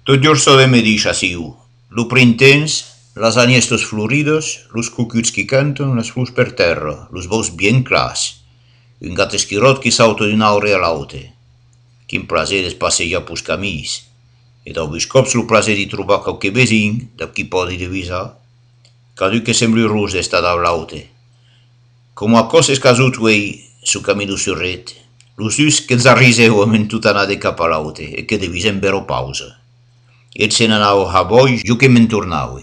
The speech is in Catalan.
Tot giorso de me dice asiu. Lu printens, las aniestos floridos, los cucuts qui cantan, las flus per terra, los bous bien clars. Un gat esquirot qui sauta d'una aure a l'autre. Quin plaser es passejar pus camis. E dau vus cops lo plaser di trobar qualche vesin, da qui podi divisar, cadu che sembri rus d'esta da l'autre. Come a coses casut uei su camino surret, los us che zarriseu en tutta anà de cap a l'autre e che devisen vero pausa. Et se n'anau a voi, jo che me'n tornaue.